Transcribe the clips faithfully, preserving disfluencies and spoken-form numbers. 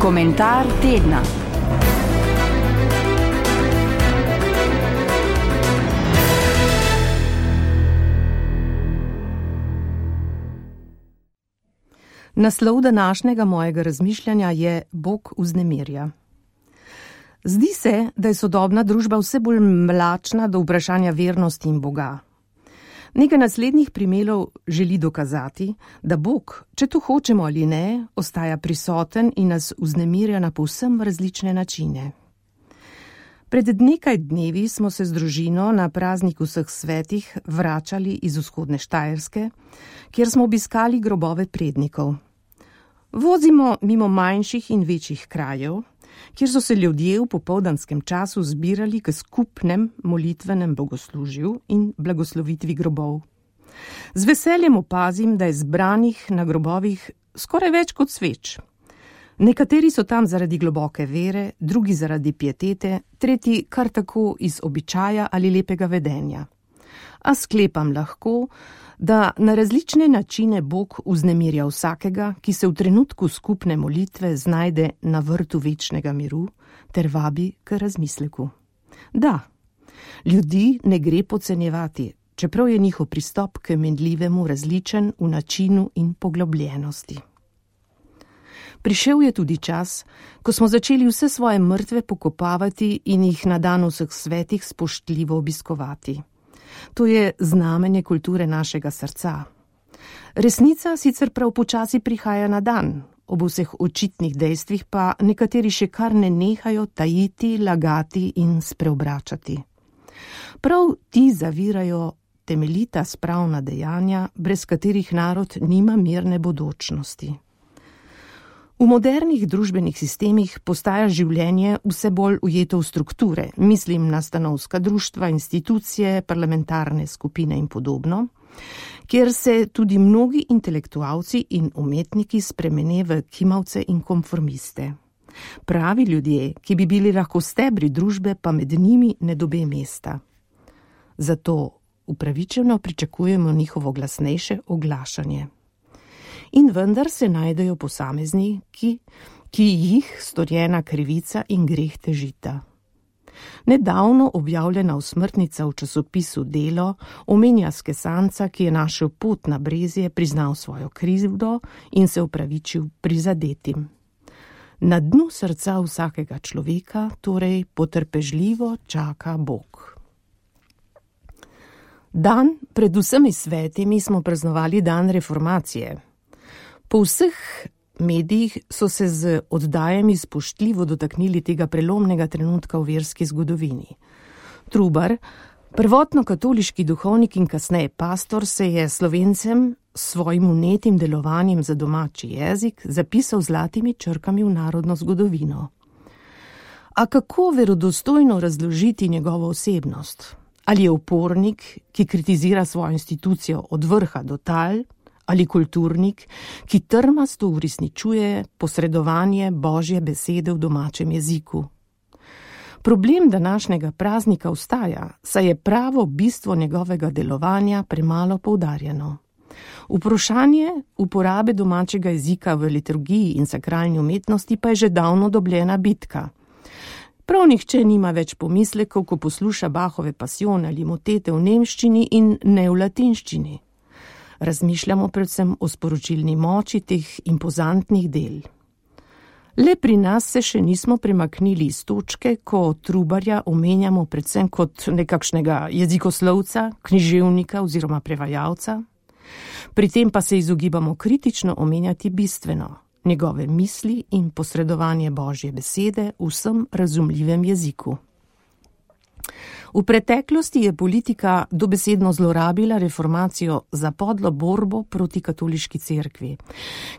Komentar tedna. Naslov današnjega mojega razmišljanja je Bog vznemirja. Zdi se, da je sodobna družba vse bolj mlačna do vprašanja vernosti in Boga. Nekaj naslednjih primerov želi dokazati, da Bog, če to hočemo ali ne, ostaja prisoten in nas vznemirja na povsem različne načine. Pred nekaj dnevi smo se z družino na praznik vseh svetih vračali iz vzhodne Štajerske, kjer smo obiskali grobove prednikov. Vozimo mimo manjših in večjih krajev, kjer so se ljudje v popoldanskem času zbirali k skupnem molitvenem bogoslužju in blagoslovitvi grobov. Z veseljem opazim, da je zbranih na grobovih skoraj več kot sveč. Nekateri so tam zaradi globoke vere, drugi zaradi pietete, tretji kar tako iz običaja ali lepega vedenja. A sklepam lahko, da na različne načine Bog vznemirja vsakega, ki se v trenutku skupne molitve znajde na vrtu večnega miru ter vabi k razmisleku. Da, ljudi ne gre podcenjevati, čeprav je njihov pristop k menljivemu različen v načinu in poglobljenosti. Prišel je tudi čas, ko smo začeli vse svoje mrtve pokopavati in jih na dan vseh svetih spoštljivo obiskovati. To je znamenje kulture našega srca. Resnica sicer prav počasi prihaja na dan, ob vseh očitnih dejstvih pa nekateri še kar ne nehajo tajiti, lagati in spreobračati. Prav ti zavirajo temeljita spravna dejanja, brez katerih narod nima mirne bodočnosti. V modernih družbenih sistemih postaja življenje vse bolj ujeto v strukture, mislim na stanovska društva, institucije, parlamentarne skupine in podobno, kjer se tudi mnogi intelektualci in umetniki spremene v kimavce in konformiste. Pravi ljudje, ki bi bili lahko stebri družbe, pa med njimi ne dobe mesta. Zato upravičeno pričakujemo njihovo glasnejše oglašanje. In vendar se najdejo posamezniki, ki jih storjena krivica in greh težita. Nedavno objavljena usmrtnica v časopisu Delo omenja skesanca, ki je našel pot na Brezje, priznal svojo krivdo in se opravičil prizadetim. Na dnu srca vsakega človeka torej potrpežljivo čaka Bog. Dan pred vsemi svetimi smo praznovali dan reformacije. Po vseh medijih so se z oddajami spoštljivo dotaknili tega prelomnega trenutka v verski zgodovini. Trubar, prvotno katoliški duhovnik in kasneje pastor, se je Slovencem s svojim vnetim delovanjem za domači jezik zapisal zlatimi črkami v narodno zgodovino. A kako verodostojno razložiti njegovo osebnost? Ali je upornik, ki kritizira svojo institucijo od vrha do tal, ali kulturnik, ki trmasto uresničuje posredovanje Božje besede v domačem jeziku? Problem današnjega praznika ostaja, saj je pravo bistvo njegovega delovanja premalo poudarjeno. Vprašanje uporabe domačega jezika v liturgiji in sakralni umetnosti pa je že davno dobljena bitka. Prav nihče nima več pomislekov, ko posluša Bachove pasijone ali motete v nemščini in ne v latinščini. Razmišljamo predvsem o sporočilni moči teh impozantnih del. Le pri nas se še nismo premaknili iz točke, ko Trubarja omenjamo predvsem kot nekakšnega jezikoslovca, književnika oziroma prevajalca. Pri tem pa se izogibamo kritično omenjati bistveno, njegove misli in posredovanje Božje besede v vsem razumljivem jeziku. V preteklosti je politika dobesedno zlorabila reformacijo za podlo borbo proti katoliški cerkvi.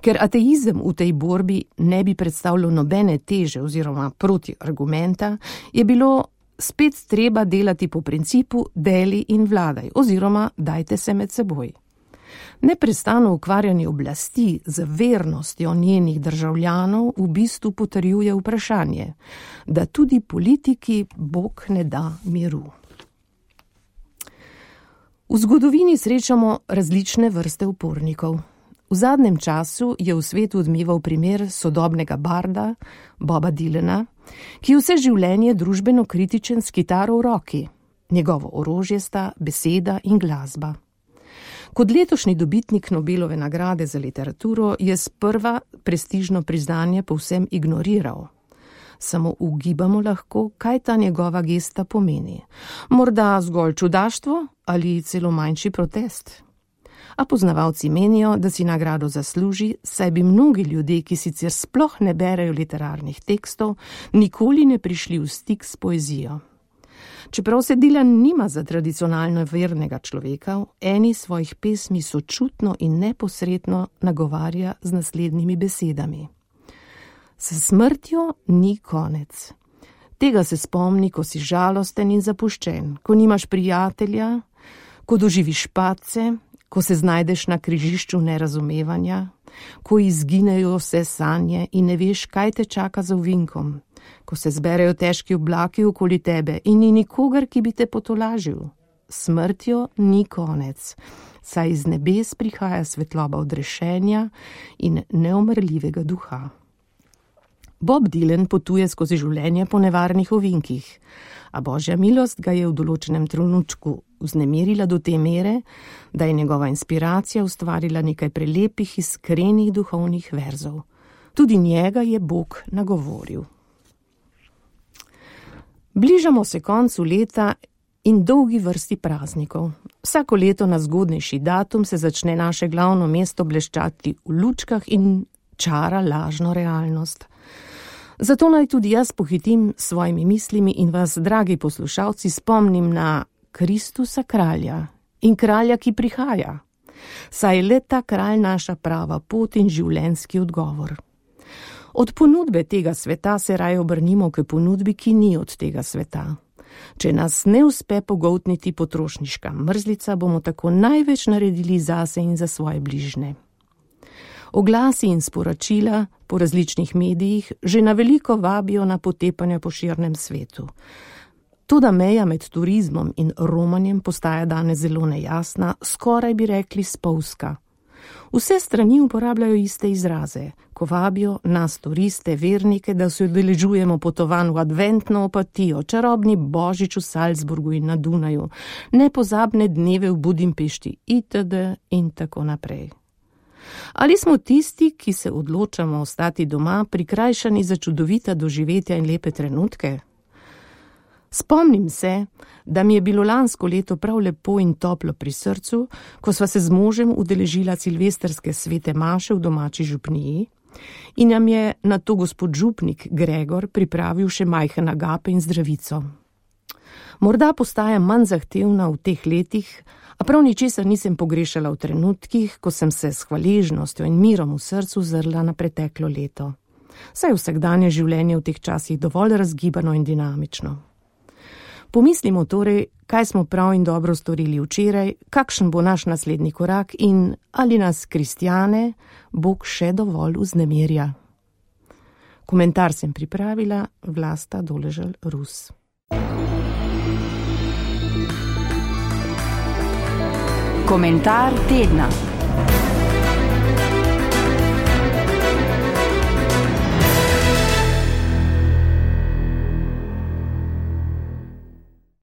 Ker ateizem v tej borbi ne bi predstavljal nobene teže oziroma protiargumenta, je bilo spet treba delati po principu deli in vladaj oziroma dajte se med seboj. Neprestano ukvarjanje oblasti z vernostjo njenih državljanov v bistvu potrjuje vprašanje, da tudi politiki Bog ne da miru. V zgodovini srečamo različne vrste upornikov. V zadnjem času je v svetu odmeval primer sodobnega barda Boba Dylana, ki je vse življenje družbeno kritičen s kitaro v roki. Njegovo orožje sta beseda in glasba. Kot letošnji dobitnik Nobelove nagrade za literaturo je sprva prestižno priznanje povsem ignoriral. Samo ugibamo lahko, kaj ta njegova gesta pomeni. Morda zgolj čudaštvo ali celo manjši protest. A poznavalci menijo, da si nagrado zasluži, saj bi mnogi ljudje, ki sicer sploh ne berejo literarnih tekstov, nikoli ne prišli v stik s poezijo. Čeprav se Dylan nima za tradicionalno vernega človeka, v eni svojih pesmi sočutno in neposredno nagovarja z naslednjimi besedami. S smrtjo ni konec. Tega se spomni, ko si žalosten in zapuščen, ko nimaš prijatelja, ko doživiš padce, ko se znajdeš na križišču nerazumevanja, ko izginejo vse sanje in ne veš, kaj te čaka za ovinkom, ko se zberejo težki oblaki okoli tebe in ni nikogar, ki bi te potolažil. Smrtjo ni konec, saj iz nebes prihaja svetloba odrešenja in neumrljivega duha. Bob Dylan potuje skozi življenje po nevarnih ovinkih, a božja milost ga je v določenem trenutku vznemirila do te mere, da je njegova inspiracija ustvarila nekaj prelepih, iskrenih duhovnih verzov. Tudi njega je Bog nagovoril. Bližamo se koncu leta in dolgi vrsti praznikov. Vsako leto na zgodnejši datum se začne naše glavno mesto bleščati v lučkah in čara lažno realnost. Zato naj tudi jaz pohitim s svojimi mislimi in vas, dragi poslušalci, spomnim na Kristusa kralja in kralja, ki prihaja. Saj je le ta kralj naša prava pot in življenjski odgovor. Od ponudbe tega sveta se raje obrnimo k ponudbi, ki ni od tega sveta. Če nas ne uspe pogoltniti potrošniška mrzlica, bomo tako največ naredili zase in za svoje bližne. Oglasi in sporočila po različnih medijih že na veliko vabijo na potepanja po širnem svetu. Toda meja med turizmom in romanjem postaja danes zelo nejasna, skoraj bi rekli spolzka. Vse strani uporabljajo iste izraze, ko vabijo nas turiste, vernike, da se udeležujemo potovanj v adventno opatijo, čarobni božič v Salzburgu in na Dunaju, nepozabne dneve v Budimpešti itd. In tako naprej. Ali smo tisti, ki se odločamo ostati doma, prikrajšani za čudovita doživetja in lepe trenutke? Spomnim se, da mi je bilo lansko leto prav lepo in toplo pri srcu, ko sva se z možem udeležila silvestrske svete maše v domači župniji in nam je na to gospod župnik Gregor pripravil še majhen agape in zdravico. Morda postaja manj zahtevna v teh letih, a prav ničesar nisem pogrešala v trenutkih, ko sem se s hvaležnostjo in mirom v srcu zrla na preteklo leto. Saj vsakdanje življenje v teh časih dovolj razgibano in dinamično. Pomislimo torej, kaj smo prav in dobro storili včeraj, kakšen bo naš naslednji korak in ali nas, kristjane, Bog še dovolj vznemirja. Komentar sem pripravila Vlasta Doležal Rus. Komentar tedna.